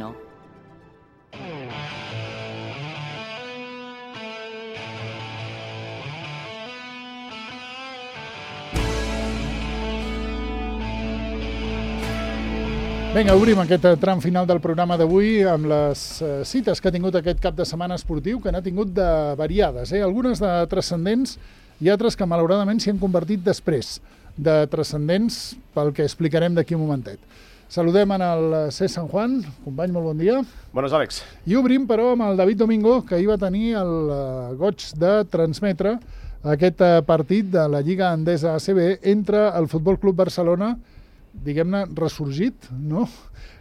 Moreno. Vinga, obrim aquest tram final del programa d'avui amb les cites que ha tingut aquest cap de setmana esportiu, que n'ha tingut de variades, algunes de transcendents i altres que malauradament s'hi han convertit després de transcendents, pel que explicarem d'aquí un momentet. Saludem en el C. San Juan. Company, molt bon dia. Bones, Àlex. I obrim, però, amb el David Domingo, que ahir va tenir el goig de transmetre aquest partit de la Lliga Endesa ACB entre el Futbol Club Barcelona, diguem-ne, ressorgit, no?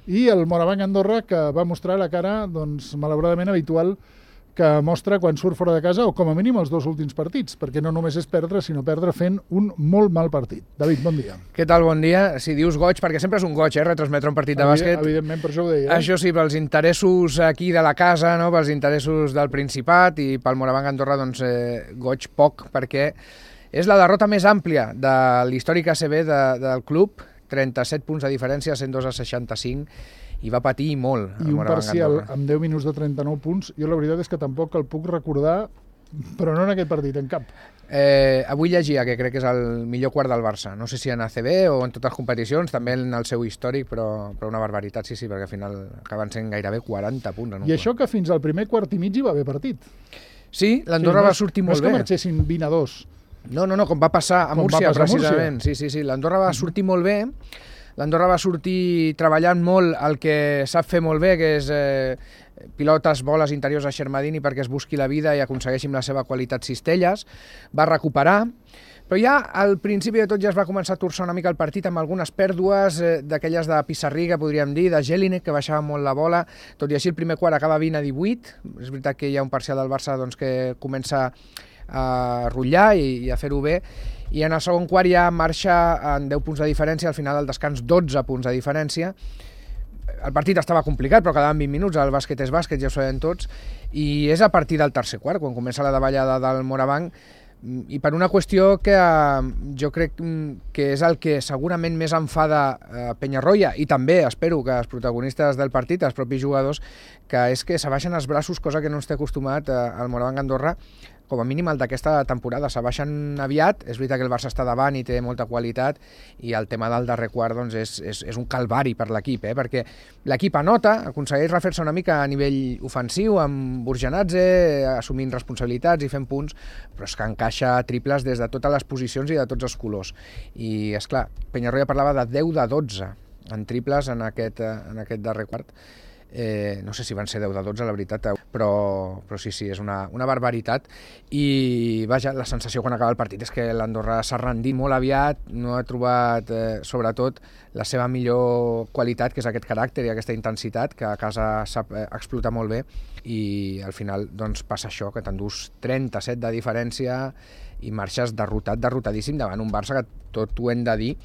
I el Morabanc Andorra, que va mostrar la cara, doncs, malauradament habitual que mostra quan surt fora de casa, o com a mínim els dos últims partits, perquè no només és perdre, sinó perdre fent un molt mal partit. David, bon dia. Què tal, bon dia? Si dius goig, perquè sempre és un goig, retransmetre un partit de bàsquet. Evidentment, per això ho deia. Això sí, pels interessos aquí de la casa, no? Pels interessos del Principat i pel Morabanc Andorra, doncs, goig poc, perquè és la derrota més àmplia de l'històric ACB del club, 37 punts de diferència, 102-65, i va patir molt. I un parcial amb 10 minuts de 39 punts. Jo la veritat és que tampoc el puc recordar, però no en aquest partit, en cap. Avui llegia que crec que és el millor quart del Barça. No sé si en ACB o en totes les competicions, també en el seu històric, però una barbaritat, sí, perquè al final acaben sent gairebé 40 punts. I això que fins al primer quart i mig hi va haver partit. Sí, l'Andorra va sortir molt bé. No és que marxessin 20-2. No, com va passar a Múrcia, precisament. Sí, l'Andorra va sortir molt bé, l'Andorra va sortir treballant molt el que sap fer molt bé, que és pilotes, boles interiors a Xermadini perquè es busqui la vida i aconsegueixi amb la seva qualitat cistelles, va recuperar, però ja al principi de tot ja es va començar a torçar una mica el partit amb algunes pèrdues d'aquelles de Pissarriga, podríem dir, de Jelinek, que baixava molt la bola, tot i així el primer quart acaba 20-18, és veritat que hi ha un parcial del Barça doncs, que comença a rotllar i a fer-ho bé, i en el segon quart ja marxa en 10 punts de diferència, al final del descans 12 punts de diferència. El partit estava complicat, però quedaven 20 minuts, el bàsquet és bàsquet, ja ho sabem tots, i és a partir del tercer quart, quan comença la davallada del Morabanc, i per una qüestió que jo crec que és el que segurament més enfada Penyarroia, i també espero que els protagonistes del partit, els propis jugadors, que és que s'abaixen els braços, cosa que no ens té acostumat al Morabanc Andorra, com a mínim el d'aquesta temporada. S'abaixen aviat, és veritat que el Barça està davant i té molta qualitat, i el tema del darrer quart doncs, és un calvari per l'equip, perquè l'equip anota, aconsegueix refer-se una mica a nivell ofensiu, amb Burjanadze, assumint responsabilitats i fent punts, però és que encaixa triples des de totes les posicions i de tots els colors. I, esclar, Penyarroia parlava de 10 de 12 en triples en aquest darrer quart. No sé si van ser 10 de 12, la veritat, però sí, és una barbaritat. I vaja, la sensació quan acaba el partit és que l'Andorra s'ha rendit molt aviat, no ha trobat sobretot la seva millor qualitat, que és aquest caràcter i aquesta intensitat, que a casa sap explotar molt bé, i al final doncs, passa això, que t'endús 37 de diferència i marxes derrotadíssim davant un Barça que, tot ho hem de dir,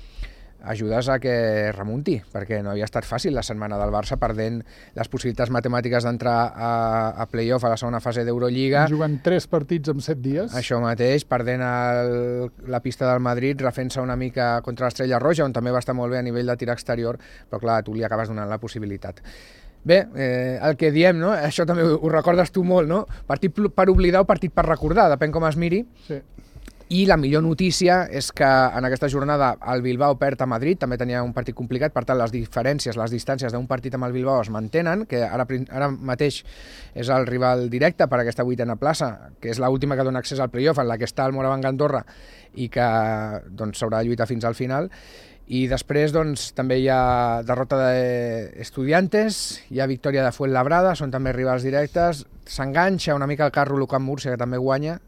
ajudes a que remunti, perquè no havia estat fàcil la setmana del Barça, perdent les possibilitats matemàtiques d'entrar a play-off a la segona fase d'Eurolliga. Jugant 3 partits en 7 dies. Això mateix, perdent la pista del Madrid, refent-se una mica contra l'Estrella Roja, on també va estar molt bé a nivell de tir exterior, però clar, tu li acabes donant la possibilitat. Bé, el que diem, no? Això també ho recordes tu molt, no? Partit per oblidar o partit per recordar, depèn com es miri. Sí. I la millor notícia és que en aquesta jornada el Bilbao perd a Madrid, també tenia un partit complicat, per tant les diferències, les distàncies d'un partit amb el Bilbao es mantenen, que ara mateix és el rival directe per aquesta 8a plaça, que és l'última que dona accés al playoff, en la que està el Morabanc Andorra i que doncs, s'haurà de lluitar fins al final. I després doncs, també hi ha derrota d'Estudiantes, hi ha victòria de Fuenlabrada, són també rivals directes, s'enganxa una mica el carro l'UCAM Múrcia, que també guanya,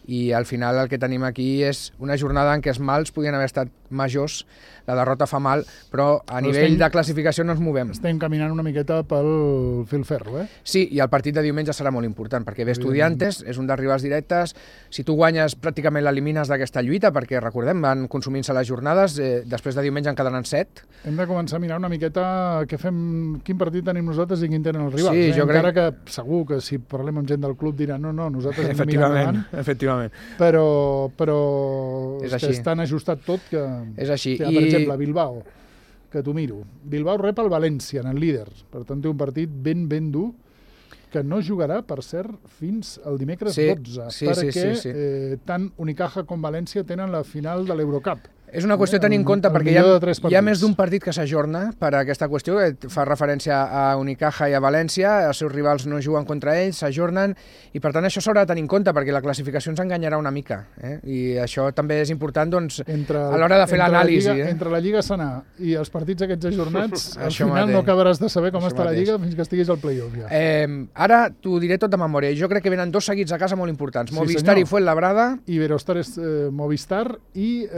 i al final el que tenim aquí és una jornada en què els mals podien haver estat majors, la derrota fa mal, però a nivell de classificació no ens movem. Estem caminant una miqueta pel filferro, Sí, i el partit de diumenge serà molt important, perquè ve Estudiantes, és un dels rivals directes, si tu guanyes pràcticament l'elimines d'aquesta lluita, perquè recordem, van consumint-se les jornades, després de diumenge en quedaran 7. Hem de començar a mirar una miqueta quin partit tenim nosaltres i quin tenen els rivals. Sí, encara que segur que si parlem amb gent del club diran no, nosaltres hem de mirar endavant. Efectivament. Però és que és tan ajustat tot que... És així. Per exemple, Bilbao que t'ho miro. Bilbao rep el València, en el líder. Per tant, té un partit ben dur, que no jugarà, per cert, fins al dimecres 12, perquè tant Unicaja com València tenen la final de l'Eurocup. És una qüestió a tenir en compte perquè hi ha més d'un partit que s'ajorna per aquesta qüestió, que fa referència a Unicaja i a València, els seus rivals no juguen contra ells, s'ajornen, i per tant això s'haurà de tenir en compte perquè la classificació ens enganyarà una mica. I això també és important doncs, a l'hora de fer l'anàlisi. Entre la Lliga Sanà i els partits aquests ajornats, al final no acabaràs de saber com està la Lliga fins que estiguis al play-off. Ara t'ho diré tot de memòria. Jo crec que venen 2 seguits a casa molt importants. Movistar i Fuenlabrada. Iberostar Movistar i...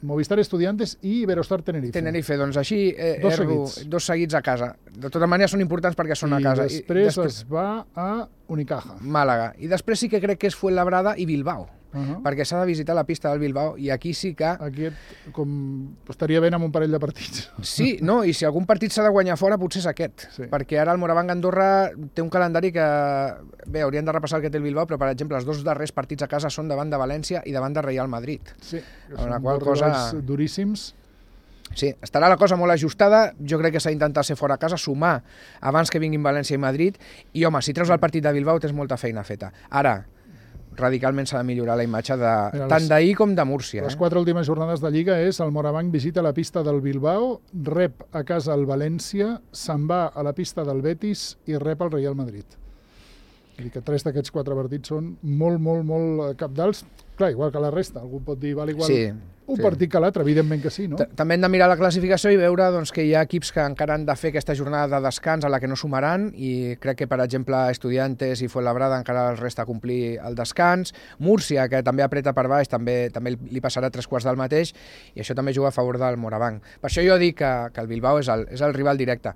Movistar Estudiantes i Iberostar Tenerife. Tenerife, doncs així, dos seguits a casa. De tota manera són importants perquè són a casa. I després es va a Unicaja. Màlaga. I després sí que crec que és Fuenlabrada i Bilbao. Perquè s'ha de visitar la pista del Bilbao i aquí sí que... Aquí estaria ben amb un parell de partits. Sí, no, i si algun partit s'ha de guanyar fora potser és aquest, perquè ara el Moravang Andorra té un calendari que... Bé, haurien de repassar el que té el Bilbao, però per exemple els 2 darrers partits a casa són davant de València i davant de Real Madrid. Sí, que són duríssims. Sí, estarà la cosa molt ajustada, jo crec que s'ha d'intentar ser fora a casa, sumar abans que vinguin València i Madrid, i home, si treus el partit de Bilbao tens molta feina feta. Ara, radicalment s'ha de millorar la imatge tant d'ahir com de Múrcia. Les 4 últimes jornades de Lliga és el Moravang visita la pista del Bilbao, rep a casa el València, se'n va a la pista del Betis i rep el Real Madrid. Vull dir que 3 d'aquests 4 partits són molt cabdals. Clar, igual que la resta, algú pot dir, val igual un partit que l'altre, evidentment que sí, no? També hem de mirar la classificació i veure doncs, que hi ha equips que encara han de fer aquesta jornada de descans a la que no sumaran, i crec que, per exemple, Estudiantes i Fuenlabrada encara els resta complir el descans. Múrcia, que també apreta per baix, també li passarà 3/4 del mateix, i això també juga a favor del Moravang. Per això jo dic que el Bilbao és el rival directe.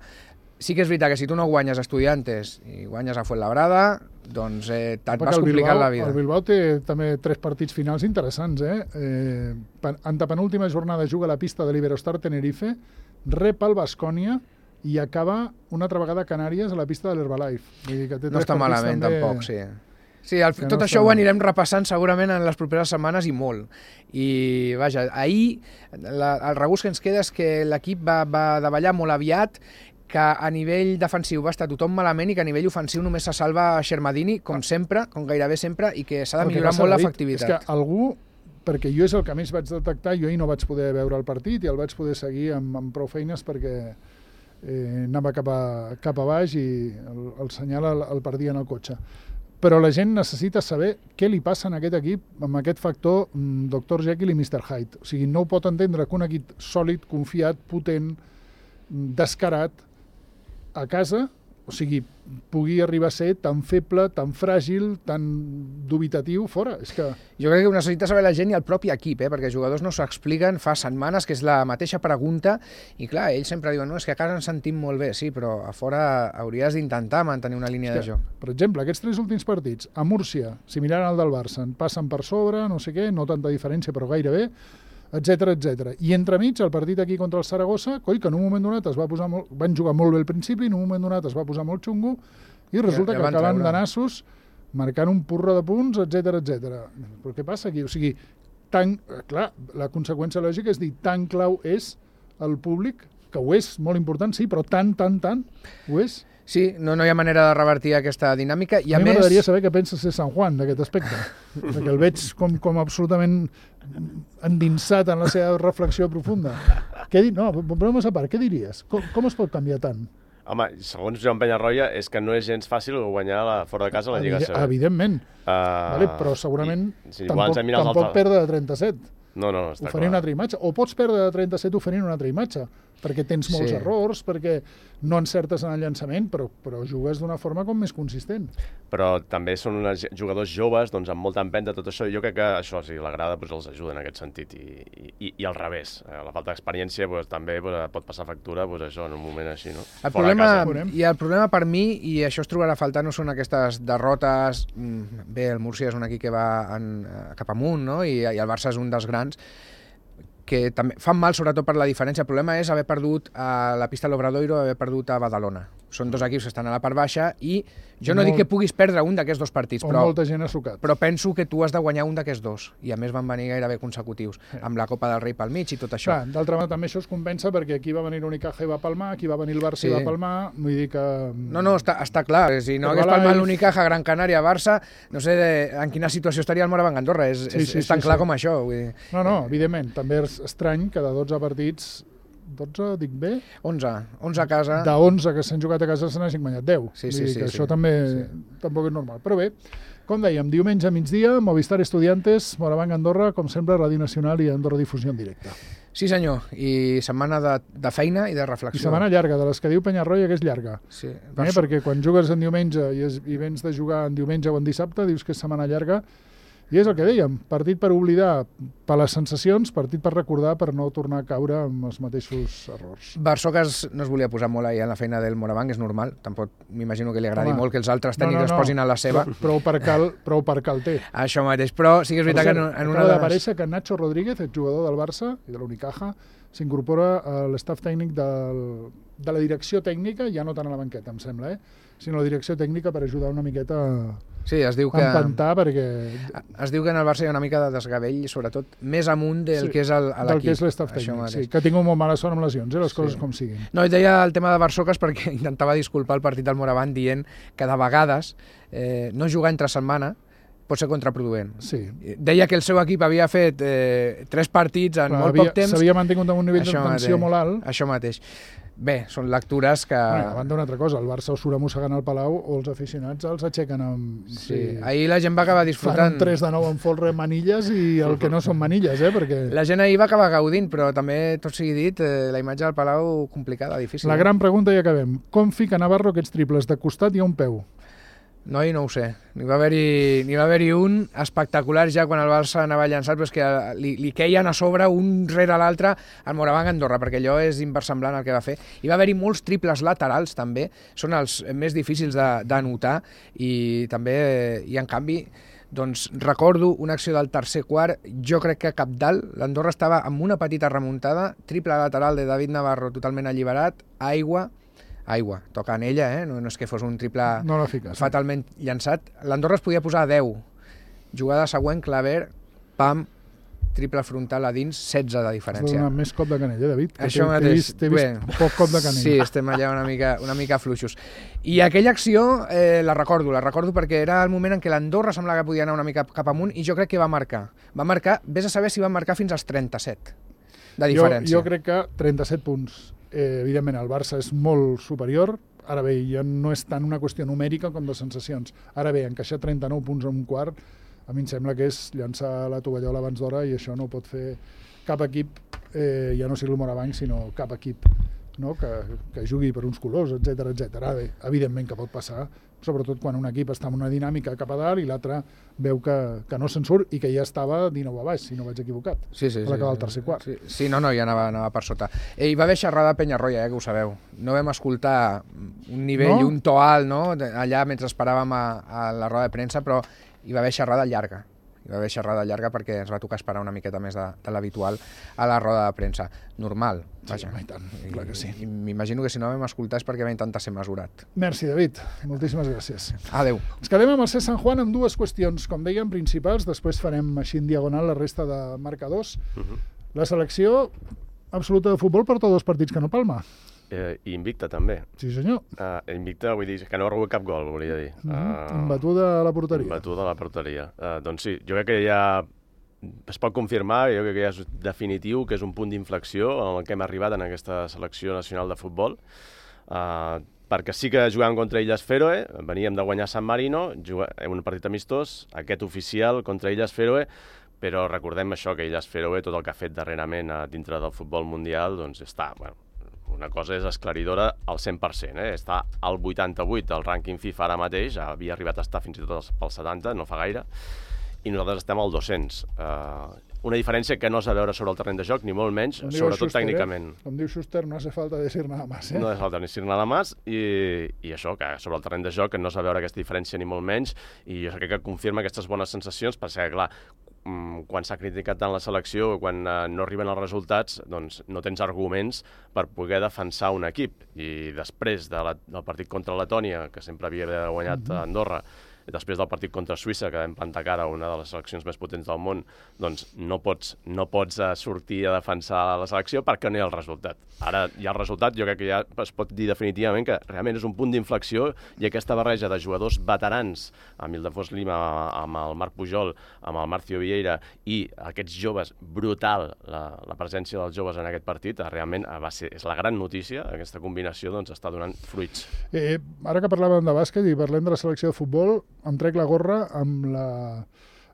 Sí que és veritat que si tu no guanyes Estudiantes i guanyes a Fuenlabrada, doncs te'n vas complicant la vida. El Bilbao té també 3 partits finals interessants. Antepenúltima jornada juga a la pista de l'Iberostar Tenerife, rep el Baskonia i acaba una altra vegada a Canàries a la pista de l'Herbalife. No està malament, tampoc, sí. Sí, tot això ho anirem repassant segurament en les properes setmanes i molt. I, vaja, ahir el regust que ens queda és que l'equip va davallar molt aviat, que a nivell defensiu va estar tothom malament i que a nivell ofensiu només se salva Xermadini, com sempre, com gairebé sempre, i que s'ha de millorar molt l'efectivitat. És que algú, perquè jo és el que més vaig detectar, jo ahir no vaig poder veure el partit i el vaig poder seguir amb prou feines perquè anava cap a baix i el senyal el perdia en el cotxe. Però la gent necessita saber què li passa en aquest equip amb aquest factor Dr. Jekyll i Mr. Hyde. O sigui, no ho pot entendre que un equip sòlid, confiat, potent, descarat, a casa, o sigui, pugui arribar a ser tan feble, tan fràgil, tan dubitatiu fora. És que... Jo crec que ho necessita saber la gent i el propi equip, perquè els jugadors no s'ho expliquen fa setmanes, que és la mateixa pregunta, i clar, ells sempre diuen, no, és que a casa ens sentim molt bé, sí, però a fora hauries d'intentar mantenir una línia de joc. Per exemple, aquests 3 últims partits, a Múrcia, similar al del Barça, en passen per sobre, no sé què, no tanta diferència, però gairebé, etc. I entremig, el partit aquí contra el Saragossa, que en un moment donat van jugar molt bé al principi, en un moment donat es va posar molt xungo, i resulta que acaben de nassos, marcant un porró de punts, etc. Però què passa aquí? O sigui, clar, la conseqüència lògica és dir, tan clau és el públic, que ho és, molt important, sí, però tant, ho és. Sí, no hi ha manera de revertir aquesta dinàmica. A mi m'agradaria saber què pensa ser San Juan d'aquest aspecte, perquè el veig com absolutament endinsat en la seva reflexió profunda. No, però a part, què diries? Com es pot canviar tant? Home, segons Joan Penyarroia, és que no és gens fàcil guanyar fora de casa la Lliga CB. Evidentment, però segurament tampoc perdre de 37. No, està clar. Oferint una altra imatge. O pots perdre de 37 oferint una altra imatge, perquè tens molts errors, perquè no encertes en el llançament, però jugues d'una forma com més consistent. Però també són jugadors joves, doncs amb molta empenta, tot això. Jo crec que això, si l'agrada, els ajuda en aquest sentit. I al revés. La falta d'experiència també pot passar factura això en un moment així, no? El problema per mi, i això es trobarà a faltar, no són aquestes derrotes. Bé, el Múrcia és un equip que va cap amunt, no? I el Barça és un dels grans, que també fan mal sobretot per la diferència. El problema és haver perdut a la pista de l'Obradoiro, haver perdut a Badalona. Són dos equips que estan a la part baixa i jo no dic que puguis perdre un d'aquests dos partits, molta gent ha sucat. Però penso que tu has de guanyar un d'aquests dos, i a més van venir gairebé consecutius, amb la Copa del Rei pel mig i tot això. Clar, d'altra banda també això es compensa perquè aquí va venir l'Unicaja i va palmar, aquí va venir el Barça i va palmar, vull dir que... No, està clar, si no hagués palmat l'Unicaja, Gran Canària, Barça, no sé en quina situació estaria el Moraván Andorra, és tan clar com això. Vull dir. No, evidentment, també és estrany que de 12 partits 12, dic bé? 11 a casa. De 11 que s'han jugat a casa se n'hagin guanyat 10. Sí, això també tampoc és normal. Però bé, com dèiem, diumenge a migdia, Movistar Estudiantes, Moraván Andorra, com sempre, Ràdio Nacional i Andorra Difusió en directe. Sí, senyor, i setmana de feina i de reflexió. I setmana llarga, de les que diu Penyarroia, que és llarga. Sí. Perquè quan jugues en diumenge i vens de jugar en diumenge o en dissabte, dius que és setmana llarga. I és el que dèiem, partit per oblidar per les sensacions, partit per recordar per no tornar a caure amb els mateixos errors. Barsocas no es volia posar molt ahir en la feina del Moraván, és normal, tampoc m'imagino que li agradi molt que els altres tècnics es posin a la seva. Prou per cal té. Això mateix, però sí que és veritat que en una acaba d'aparèixer que Nacho Rodríguez, el jugador del Barça i de l'Unicaja, s'incorpora a l'estaf tècnic de la direcció tècnica, ja no tant a la banqueta, em sembla, sinó a la direcció tècnica per ajudar una miqueta a empantar, perquè... Es diu que en el Barça hi ha una mica de desgavell, sobretot més amunt del que és l'equip. Del que és l'estaf tècnic, sí, que ha tingut molt mala sort amb lesions, les coses com siguin. No, i deia el tema de Barsocas perquè intentava disculpar el partit del Moraván dient que de vegades no jugar entre setmana pot ser contraproduent. Sí. Deia que el seu equip havia fet 3 partits en molt poc temps. S'havia mantingut amb un nivell de tensió molt alt. Això mateix. Bé, són lectures que... A banda una altra cosa, el Barça o surt mossegant al Palau o els aficionats els aixequen amb... Sí, ahir la gent va acabar disfrutant... Fan un 3 de 9 amb folre manilles i el que no són manilles, perquè... La gent ahir va acabar gaudint, però també, tot sigui dit, la imatge del Palau complicada, difícil. La gran pregunta i acabem. Com fica Navarro aquests triples de costat i a un peu? Noi, no ho sé. N'hi va haver-hi un espectacular ja quan el Barça anava llançat, però és que li queien a sobre un rere l'altre al Moraván Andorra, perquè allò és inversemblant el que va fer. Hi va haver-hi molts triples laterals, també. Són els més difícils d'anotar i també, i en canvi, doncs recordo una acció del tercer quart, jo crec que cabdalt, l'Andorra estava amb una petita remuntada, triple lateral de David Navarro totalment alliberat, aigua, toca en ella, no és que fos un triple fatalment llançat. L'Andorra es podia posar a 10. Jugada següent, Claver, pam, triple frontal a dins, 16 de diferència. Has donat més cop de canell, David? Això mateix. T'he vist poc cop de canell. Sí, estem allà una mica fluixos. I aquella acció la recordo perquè era el moment en què l'Andorra semblava que podia anar una mica cap amunt i jo crec que va marcar. Va marcar, vés a saber si va marcar fins als 37 de diferència. Jo crec que 37 punts. Evidentment el Barça és molt superior, ara bé, ja no és tant una qüestió numèrica com de sensacions. Ara bé, encaixar 39 punts en un quart, a mi em sembla que és llançar la tovallola abans d'hora i això no pot fer cap equip, ja no sigui el Moraván, sinó cap equip que jugui per uns colors, etc. Ara bé, evidentment que pot passar, sobretot quan un equip està en una dinàmica cap a dalt i l'altre veu que no se'n surt i que ja estava 19 a baix, si no vaig equivocat, a l'acabar el tercer quart. Sí, no, ja anava per sota. Hi va haver xerrada a Penyarroia, que ho sabeu. No vam escoltar un nivell, un to alt, allà mentre esperàvem a la roda de premsa, però hi va haver xerrada llarga. Hi va haver xerrada llarga perquè ens va tocar esperar una miqueta més de l'habitual a la roda de premsa. Normal. Vaja. Sí, tant, clar que sí. M'imagino que si no vam escoltar és perquè va intentar ser mesurat. Merci, David. Moltíssimes gràcies. Adéu. Ens quedem amb el C Sant Juan amb dues qüestions, com dèiem, principals. Després farem així en diagonal la resta de marcadors. La selecció absoluta de futbol porta 2 partits que no palma. I invicta, també. Sí, senyor. Invicta, vull dir, que no ha rebut cap gol, volia dir. Imbatuda a la porteria. Imbatuda a la porteria. Doncs sí, jo crec que ja es pot confirmar, jo crec que ja és definitiu, que és un punt d'inflexió en el que hem arribat en aquesta selecció nacional de futbol, perquè sí que jugàvem contra Illes Fèroe, veníem de guanyar San Marino, un partit amistós, aquest oficial contra Illes Fèroe, però recordem això, que Illes Fèroe, tot el que ha fet darrerament dintre del futbol mundial, doncs està, una cosa és esclaridora al 100%, està al 88 del rànquing FIFA ara mateix, havia arribat a estar fins i tot al 70, no fa gaire, i nosaltres estem al 200. Una diferència que no s'ha de veure sobre el terreny de joc, ni molt menys, sobretot tècnicament. Com diu Schuster, no hace falta decir nada más. No hace falta decir nada más, i això, que sobre el terreny de joc no s'ha de veure aquesta diferència ni molt menys, i jo crec que confirma aquestes bones sensacions, perquè, clar, quan s'ha criticat tant la selecció, quan no arriben els resultats, doncs no tens arguments per poder defensar un equip. I després del partit contra Letònia, que sempre havia guanyat Andorra, i després del partit contra Suïssa, que vam plantar cara a una de les seleccions més potents del món, doncs no pots sortir a defensar la selecció perquè no hi ha el resultat. Ara hi ha el resultat, jo crec que ja es pot dir definitivament que realment és un punt d'inflexió i aquesta barreja de jugadors veterans, amb Ildefons Lima, amb el Marc Pujol, amb el Marcio Vieira i aquests joves, brutal la presència dels joves en aquest partit, realment és la gran notícia, aquesta combinació doncs està donant fruits. Ara que parlàvem de bàsquet i parlem de la selecció de futbol, em trec la gorra amb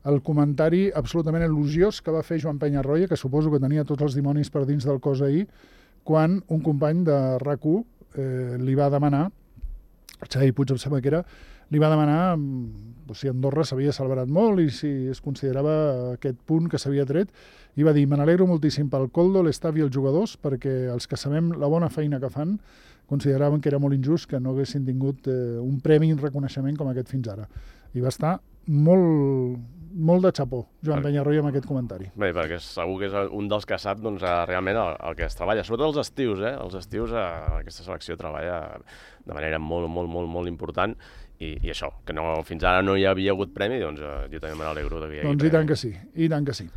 el comentari absolutament elogiós que va fer Joan Penyarroia, que suposo que tenia tots els dimonis per dins del cos ahir, quan un company de RAC1 li va demanar, Xavi Puig em sembla que era, li va demanar si Andorra s'havia celebrat molt i si es considerava aquest punt que s'havia tret, i va dir, me n'alegro moltíssim pel Coldo, l'estaf i els jugadors, perquè els que sabem la bona feina que fan consideraven que era molt injust que no haguessin tingut un premi i un reconeixement com aquest fins ara. I va estar molt de xapó, Joan Penyarroia, amb aquest comentari. Bé, perquè segur que és un dels que sap realment el que es treballa. Sobretot els estius, Els estius aquesta selecció treballa de manera molt important i això, que fins ara no hi havia hagut premi, doncs jo també me n'alegro que hi hagi premi. I tant que sí.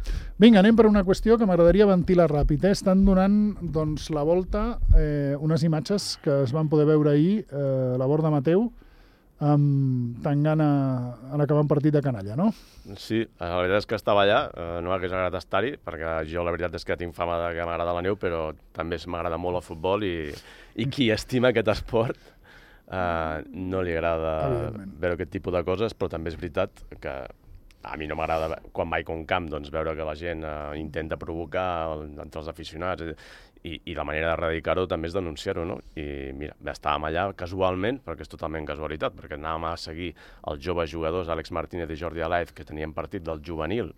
Vinga, anem per una qüestió que m'agradaria ventilar ràpid. Estan donant la volta unes imatges que es van poder veure ahir a la Borda Mateu, amb Tangana en acabar un partit de canalla, no? Sí, la veritat és que estava allà, no m'hagués agradat estar-hi, perquè jo la veritat és que tinc fama que m'agrada la neu, però també m'agrada molt el futbol i qui estima aquest esport no li agrada veure aquest tipus de coses, però també és veritat que a mi no m'agrada, quan vaig a un camp, doncs, veure que la gent intenta provocar entre els aficionats i la manera d'erradicar-ho també és denunciar-ho, no? I mira, estàvem allà casualment, perquè és totalment casualitat, perquè anàvem a seguir els joves jugadors, Àlex Martínez i Jordi Alaez, que tenien partit del juvenil.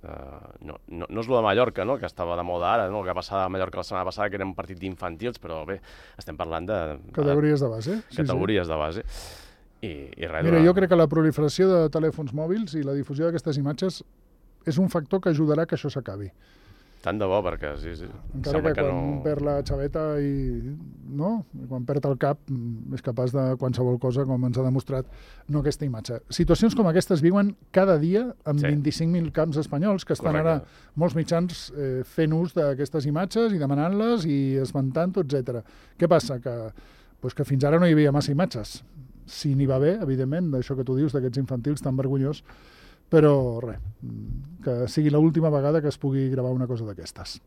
No és lo de Mallorca, no?, que estava de moda ara, no?, el que passava a Mallorca la setmana passada, que era un partit d'infantils, però bé, estem parlant de... Categories de base. Categories de base. I res, mira, jo crec que la proliferació de telèfons mòbils i la difusió d'aquestes imatges és un factor que ajudarà que això s'acabi. Tant de bo, perquè sí. Encara que quan perd la xaveta quan perd el cap és capaç de qualsevol cosa, com ens ha demostrat no aquesta imatge. Situacions com aquestes viuen cada dia amb 25.000 camps espanyols que estan ara molts mitjans fent ús d'aquestes imatges i demanant-les i esmentant-ho, etc. Què passa? Que fins ara no hi havia massa imatges. Sí, n'hi va haver, evidentment, d'això que tu dius, d'aquests infantils tan vergonyós, però res, que sigui l'última vegada que es pugui gravar una cosa d'aquestes.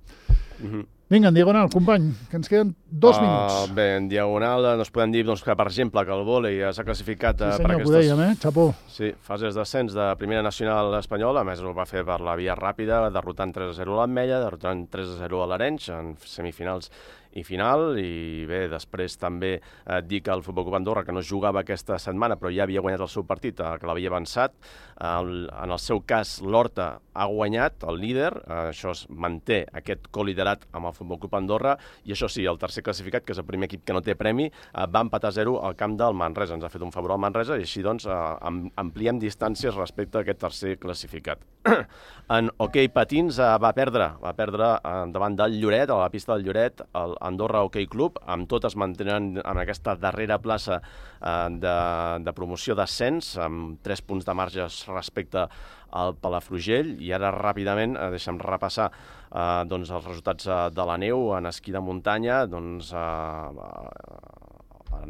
Vinga, en diagonal, company, que ens queden 2 minuts. Bé, en diagonal ens podem dir que, per exemple, que el vòlei s'ha classificat per aquestes... Sí, senyor, ho dèiem, xapó. Sí, fases d'ascens de primera nacional espanyola, a més ho va fer per la via ràpida, derrotant 3-0 l'Ametlla, derrotant 3-0 a l'Arenys, en semifinals i final, i bé, després també dir que el Futbol Club Andorra, que no jugava aquesta setmana, però ja havia guanyat el seu partit, que l'havia avançat. En el seu cas, l'Horta ha guanyat, el líder, això es manté aquest coliderat amb el Futbol Club Andorra, i això sí, el tercer classificat, que és el primer equip que no té premi, va empatar 0 al camp del Manresa. Ens ha fet un favor al Manresa, i així doncs ampliem distàncies respecte a aquest tercer classificat. En hoquei patins va perdre davant del Lloret, a la pista del Lloret, el Andorra Hockey Club, amb tot es mantenen en aquesta darrera plaça de promoció d'ascens, amb 3 punts de marge respecte al Palafrugell. I ara ràpidament deixem repassar els resultats de la neu en esquí de muntanya. No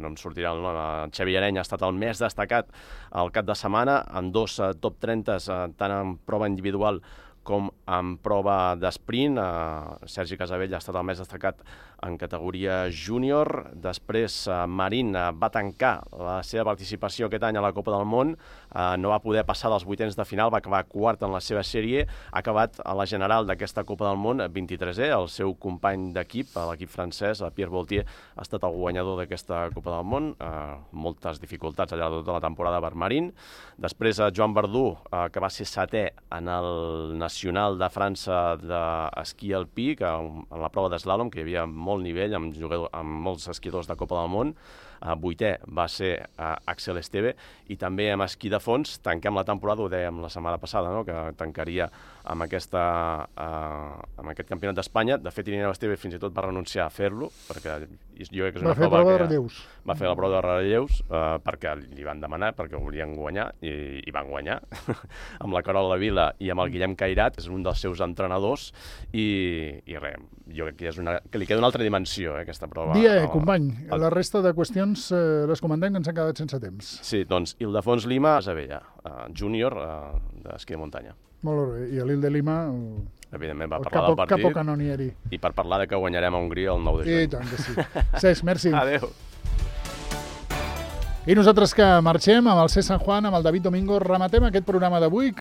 em sortirà el nom, Xavi Areny ha estat el més destacat al cap de setmana, en 2 top 30, tant en prova individual com en prova d'esprint. Sergi Casabell ha estat el més destacat en categoria júnior. Després Marín va tancar la seva participació aquest any a la Copa del Món, no va poder passar dels 8ens de final, va acabar quart en la seva sèrie, ha acabat a la general d'aquesta Copa del Món 23è, el seu company d'equip, l'equip francès, Pierre Vautier, ha estat el guanyador d'aquesta Copa del Món, moltes dificultats allà tota la temporada per Marín. Després Joan Verdú, que va ser 7è en el nacional de França d'esquí alpí, que en la prova d'eslàlom, que hi havia molt nivell amb molts esquiadors de Copa del Món. vuitè va ser Axel Esteve, i també amb esquí de fons tanquem la temporada, ho dèiem la setmana passada, no? Que tancaria amb aquest campionat d'Espanya. De fet, Irineu Esteve fins i tot va renunciar a fer-lo, perquè jo crec que és una prova de relleus. Va fer la prova de relleus perquè li van demanar, perquè ho volien guanyar, i van guanyar amb la Carola Vila i amb el Guillem Cairat, és un dels seus entrenadors, i res, jo crec que li queda una altra dimensió, aquesta prova. Company, la resta de qüestions les comentem, que ens han quedat sense temps. Sí, doncs Ildefons Lima, Isabella, júnior d'esquí de muntanya. Molt bé, i a l'Il de Lima... Evidentment va parlar del partit. Capo canonieri. I per parlar de que guanyarem a Hongria el 9 de juny. I tant que sí. Cesc, merci. Adéu. I nosaltres que marxem amb el Cesc San Juan, amb el David Domingo, rematem aquest programa d'avui.